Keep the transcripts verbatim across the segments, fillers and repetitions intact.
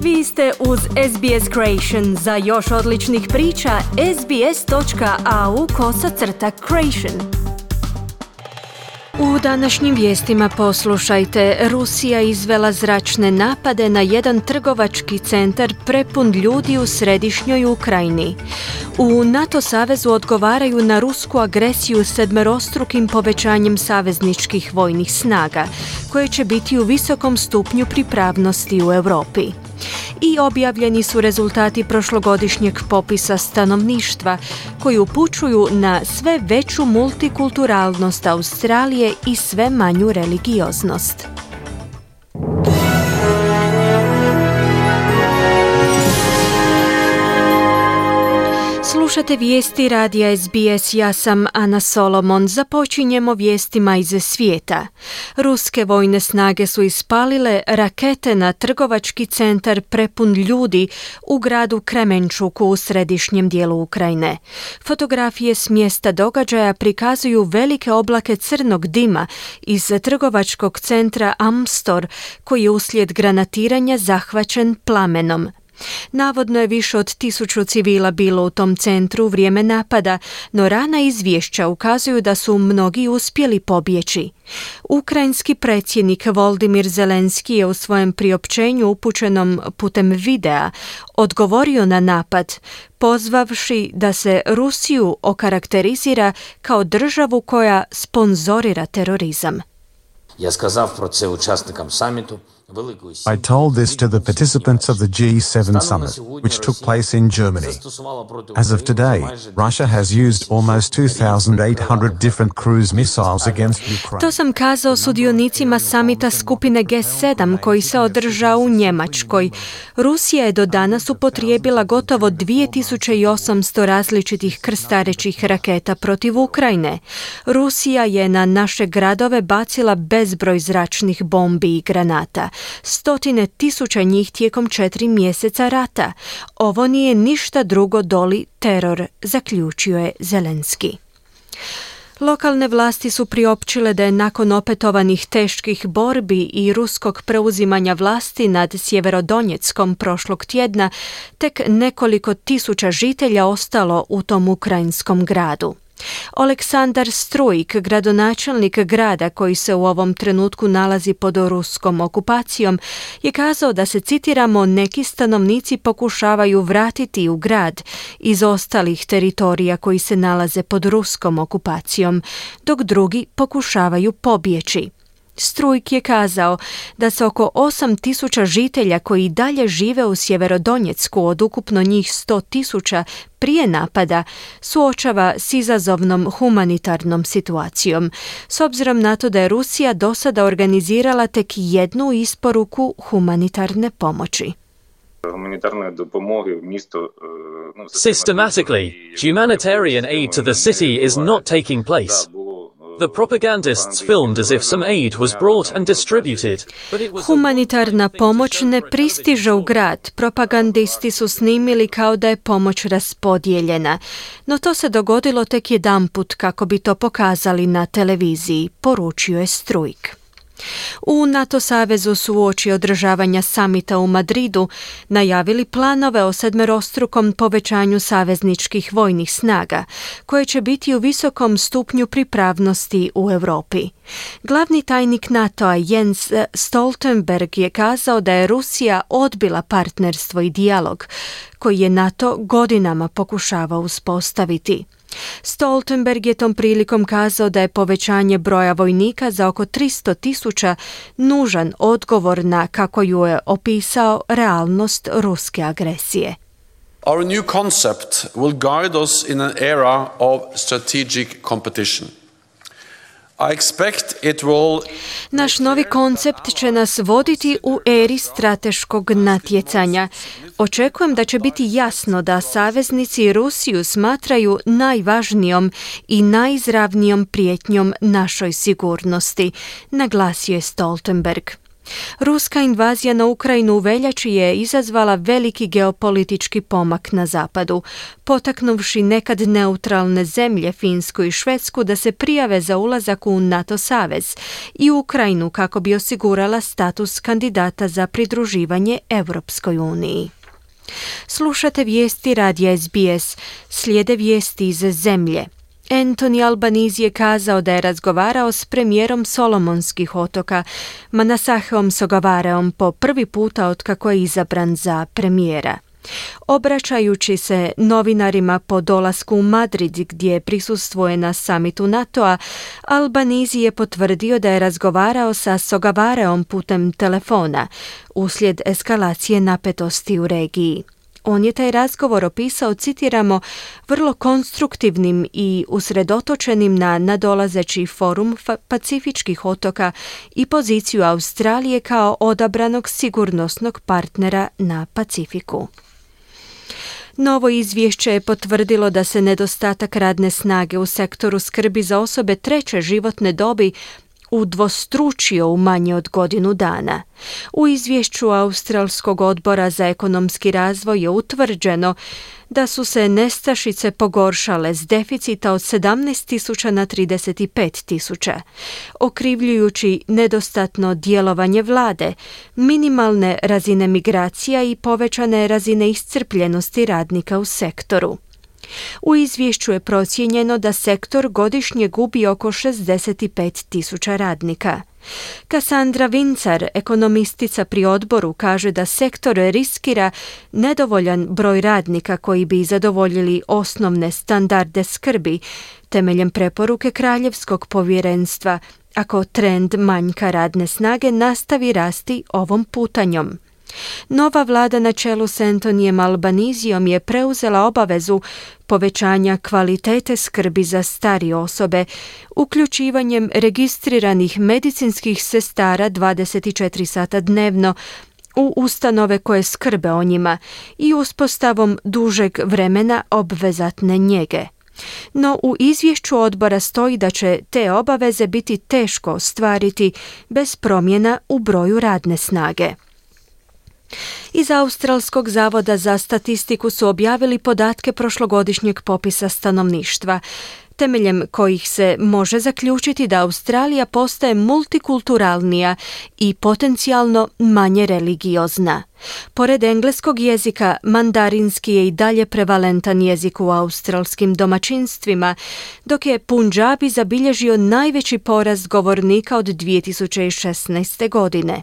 Vi ste uz S B S Creation. Za još odličnih priča, sbs.au kosacrta creation. U današnjim vijestima poslušajte, Rusija izvela zračne napade na jedan trgovački centar prepun ljudi u središnjoj Ukrajini. U NATO savezu odgovaraju na rusku agresiju sedmerostrukim povećanjem savezničkih vojnih snaga, koje će biti u visokom stupnju pripravnosti u Europi. I objavljeni su rezultati prošlogodišnjeg popisa stanovništva koji upućuju na sve veću multikulturalnost Australije i sve manju religioznost. Slušate vijesti radija S B S, ja sam Ana Solomon. Započinjemo vijestima iz svijeta. Ruske vojne snage su ispalile rakete na trgovački centar prepun ljudi u gradu Kremenčuku u središnjem dijelu Ukrajine. Fotografije s mjesta događaja prikazuju velike oblake crnog dima iz trgovačkog centra Amstor, koji je uslijed granatiranja zahvaćen plamenom. Navodno je više od tisuću civila bilo u tom centru u vrijeme napada, no rana izvješća ukazuju da su mnogi uspjeli pobjeći. Ukrajinski predsjednik Volodymyr Zelenski je u svojem priopćenju upućenom putem videa odgovorio na napad, pozvavši da se Rusiju okarakterizira kao državu koja sponzorira terorizam. Ja сказав про це учасникам саміту. I told this to the participants of the G seven summit, which took place in Germany. As of today, Russia has used almost two thousand eight hundred different cruise missiles against Ukraine. To sam kazao sudionicima samita skupine G sedam koji se održao u Njemačkoj. Rusija je do danas upotrijebila gotovo dvije tisuće osamsto različitih krstarećih raketa protiv Ukrajine. Rusija je na naše gradove bacila bezbroj zračnih bombi i granata. Stotine tisuća njih tijekom četiri mjeseca rata. Ovo nije ništa drugo doli teror, zaključio je Zelenski. Lokalne vlasti su priopćile da je nakon opetovanih teških borbi i ruskog preuzimanja vlasti nad Sjeverodonjeckom prošlog tjedna, tek nekoliko tisuća žitelja ostalo u tom ukrajinskom gradu. Oleksandar Strujk, gradonačelnik grada koji se u ovom trenutku nalazi pod ruskom okupacijom, je kazao da se, citiramo, neki stanovnici pokušavaju vratiti u grad iz ostalih teritorija koji se nalaze pod ruskom okupacijom, dok drugi pokušavaju pobjeći. Strujk je kazao da se oko osam tisuća žitelja koji dalje žive u Sjeverodonjecku od ukupno njih sto tisuća prije napada suočava s izazovnom humanitarnom situacijom, s obzirom na to da je Rusija do sada organizirala tek jednu isporuku humanitarne pomoći. Systematically, humanitarian aid to the city is not taking place. The propagandists filmed as if some aid was brought and distributed. Humanitarna pomoć ne pristiže u grad. Propagandisti su snimili kao da je pomoć raspodijeljena. No to se dogodilo tek jedanput kako bi to pokazali na televiziji, poručio je Strujk. U NATO savezu su uoči održavanja samita u Madridu najavili planove o sedmerostrukom povećanju savezničkih vojnih snaga, koje će biti u visokom stupnju pripravnosti u Europi. Glavni tajnik NATO-a Jens Stoltenberg je kazao da je Rusija odbila partnerstvo i dijalog koji je NATO godinama pokušavao uspostaviti. Stoltenberg je tom prilikom kazao da je povećanje broja vojnika za oko tristo tisuća nužan odgovor na, kako ju je opisao, realnost ruske agresije. Our new concept will guide us in an era of strategic competition. I expect it will... Naš novi koncept će nas voditi u eri strateškog natjecanja. Očekujem da će biti jasno da saveznici Rusiju smatraju najvažnijom i najizravnijom prijetnjom našoj sigurnosti, naglasio je Stoltenberg. Ruska invazija na Ukrajinu u veljači je izazvala veliki geopolitički pomak na zapadu, potaknuvši nekad neutralne zemlje Finsku i Švedsku da se prijave za ulazak u NATO savez i Ukrajinu kako bi osigurala status kandidata za pridruživanje Europskoj uniji. Slušate vijesti radija S B S, slijede vijesti iz zemlje. Anthony Albanese je kazao da je razgovarao s premijerom Solomonskih otoka, Manasaheom Sogavareom, po prvi puta otkako je izabran za premijera. Obraćajući se novinarima po dolasku u Madrid gdje prisustvuje na samitu NATO-a, Albanese je potvrdio da je razgovarao sa Sogavareom putem telefona uslijed eskalacije napetosti u regiji. On je taj razgovor opisao, citiramo, vrlo konstruktivnim i usredotočenim na nadolazeći forum Pacifičkih otoka i poziciju Australije kao odabranog sigurnosnog partnera na Pacifiku. Novo izvješće je potvrdilo da se nedostatak radne snage u sektoru skrbi za osobe treće životne dobi udvostručio u manje od godinu dana. U izvješću Australskog odbora za ekonomski razvoj je utvrđeno da su se nestašice pogoršale s deficita od sedamnaest tisuća na trideset pet tisuća, okrivljujući nedostatno djelovanje vlade, minimalne razine migracija i povećane razine iscrpljenosti radnika u sektoru. U izvješću je procijenjeno da sektor godišnje gubi oko šezdeset pet tisuća radnika. Cassandra Vincar, ekonomistica pri odboru, kaže da sektor riskira nedovoljan broj radnika koji bi zadovoljili osnovne standarde skrbi temeljem preporuke Kraljevskog povjerenstva ako trend manjka radne snage nastavi rasti ovom putanjom. Nova vlada na čelu s Anthonyjem Albanesijom je preuzela obavezu povećanja kvalitete skrbi za starije osobe, uključivanjem registriranih medicinskih sestara dvadeset četiri sata dnevno u ustanove koje skrbe o njima i uspostavom dužeg vremena obvezatne njege. No u izvješću odbora stoji da će te obaveze biti teško ostvariti bez promjena u broju radne snage. Iz Australskog zavoda za statistiku su objavili podatke prošlogodišnjeg popisa stanovništva, temeljem kojih se može zaključiti da Australija postaje multikulturalnija i potencijalno manje religiozna. Pored engleskog jezika, mandarinski je i dalje prevalentan jezik u australskim domaćinstvima, dok je Punjabi zabilježio najveći porast govornika od dvije tisuće šesnaeste. godine.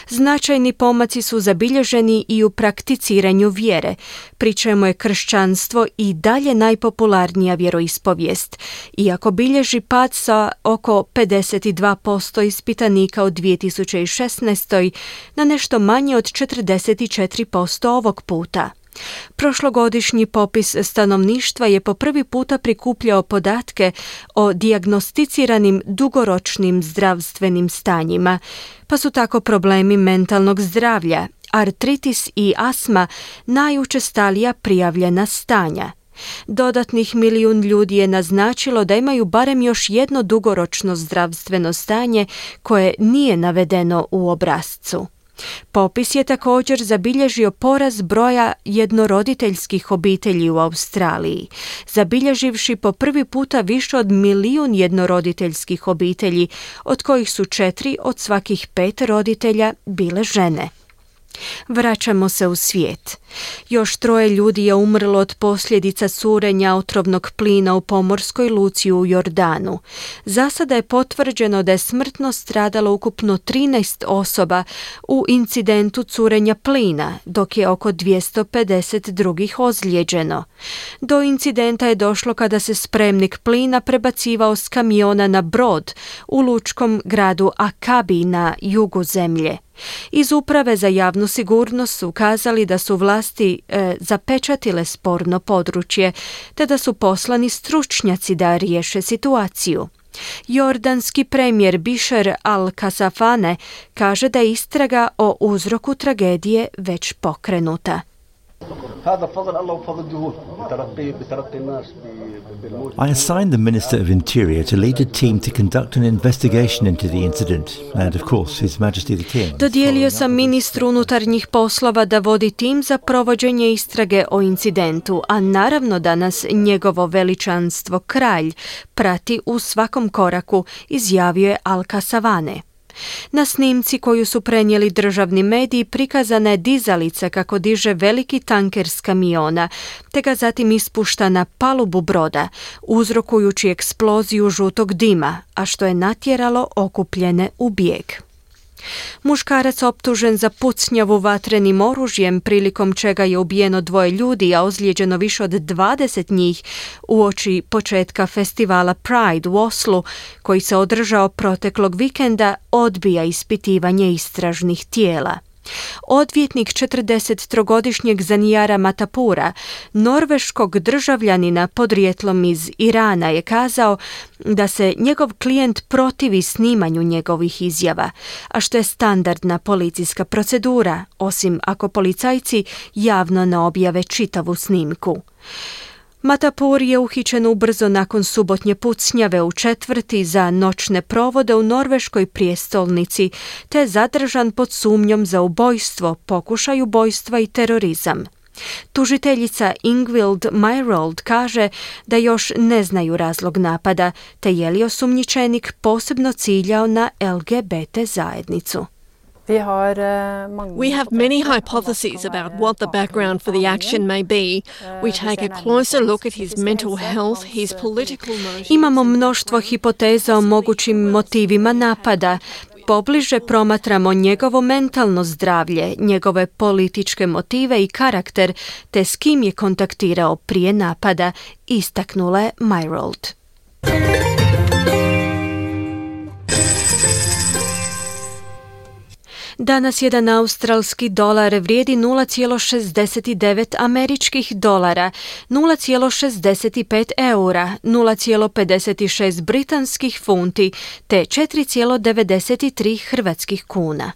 Značajni pomaci su zabilježeni i u prakticiranju vjere, pri čemu je kršćanstvo i dalje najpopularnija vjeroispovijest, iako bilježi pad sa oko pedeset dva posto ispitanika u dvije tisuće šesnaestoj. na nešto manje od četrdeset četiri posto ovog puta. Prošlogodišnji popis stanovništva je po prvi puta prikupljao podatke o dijagnosticiranim dugoročnim zdravstvenim stanjima, pa su tako problemi mentalnog zdravlja, artritis i astma najučestalija prijavljena stanja. Dodatnih milijun ljudi je naznačilo da imaju barem još jedno dugoročno zdravstveno stanje koje nije navedeno u obrascu. Popis je također zabilježio porast broja jednoroditeljskih obitelji u Australiji, zabilježivši po prvi puta više od milijun jednoroditeljskih obitelji, od kojih su četiri od svakih pet roditelja bile žene. Vraćamo se u svijet. Još troje ljudi je umrlo od posljedica curenja otrovnog plina u pomorskoj luci u Jordanu. Za sada je potvrđeno da je smrtno stradalo ukupno trinaest osoba u incidentu curenja plina, dok je oko dvjesto pedeset drugih ozlijeđeno. Do incidenta je došlo kada se spremnik plina prebacivao s kamiona na brod u lučkom gradu Akabi na jugu zemlje. Iz Uprave za javnu sigurnost su ukazali da su vlasti e, zapečatile sporno područje, te da su poslani stručnjaci da riješe situaciju. Jordanski premijer Bisher al-Kasafane kaže da je istraga o uzroku tragedije već pokrenuta. I assigned the Minister of Interior to lead a team to conduct an investigation into the incident, and of course His Majesty the King. Dodijelio sam ministru unutarnjih poslova da vodi tim za provođenje istrage o incidentu, a naravno da nas njegovo veličanstvo kralj prati u svakom koraku, izjavio je Al-Kasavane. Na snimci koju su prenijeli državni mediji prikazana je dizalica kako diže veliki tanker s kamiona, te ga zatim ispušta na palubu broda, uzrokujući eksploziju žutog dima, a što je natjeralo okupljene u bijeg. Muškarac optužen za pucnjavu vatrenim oružjem, prilikom čega je ubijeno dvoje ljudi, a ozlijeđeno više od dvadeset njih uoči početka festivala Pride u Oslu, koji se održao proteklog vikenda, odbija ispitivanje istražnih tijela. Odvjetnik četrdesettrogodišnjeg Zanijara Matapura, norveškog državljanina podrijetlom iz Irana, je kazao da se njegov klijent protivi snimanju njegovih izjava, a što je standardna policijska procedura, osim ako policajci javno ne objave čitavu snimku. Matapur je uhićen ubrzo nakon subotnje pucnjave u četvrti za noćne provode u norveškoj prijestolnici, te je zadržan pod sumnjom za ubojstvo, pokušaj ubojstva i terorizam. Tužiteljica Ingvild Myrold kaže da još ne znaju razlog napada, te je li osumnjičenik posebno ciljao na L G B T zajednicu. We have many hypotheses about what the background for the action may be. We take a closer look at his mental health, his political motives. Imamo mnoštvo hipoteza o mogućim motivima napada. Pobliže promatramo njegovo mentalno zdravlje, njegove političke motive i karakter, te s kim je kontaktirao prije napada, istaknula je Myrold. Danas jedan australski dolar vrijedi nula zarez šezdeset devet američkih dolara, nula zarez šezdeset pet eura, nula zarez pedeset šest britanskih funti te četiri zarez devedeset tri hrvatskih kuna.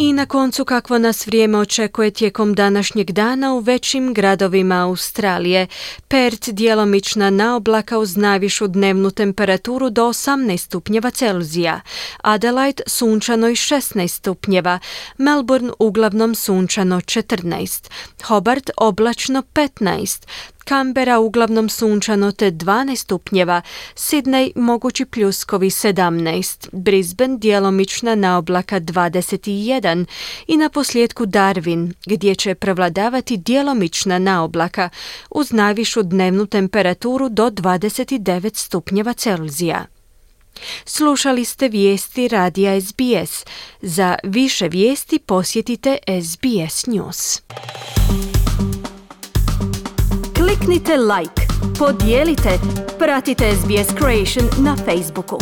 I na koncu kakvo nas vrijeme očekuje tijekom današnjeg dana u većim gradovima Australije. Perth djelomična naoblaka uz najvišu dnevnu temperaturu do osamnaest stupnjeva Celzija. Adelaide sunčano i šesnaest stupnjeva. Melbourne uglavnom sunčano četrnaest. Hobart oblačno petnaest. Canberra uglavnom sunčano te dvanaest stupnjeva, Sydney mogući pljuskovi sedamnaest, Brisbane djelomična naoblaka dvadeset jedan i na posljedku Darwin, gdje će prevladavati djelomična naoblaka uz najvišu dnevnu temperaturu do dvadeset devet stupnjeva Celzija. Slušali ste vijesti radija S B S. Za više vijesti posjetite S B S News. Kliknite like, podijelite, pratite S B S Creation na Facebooku.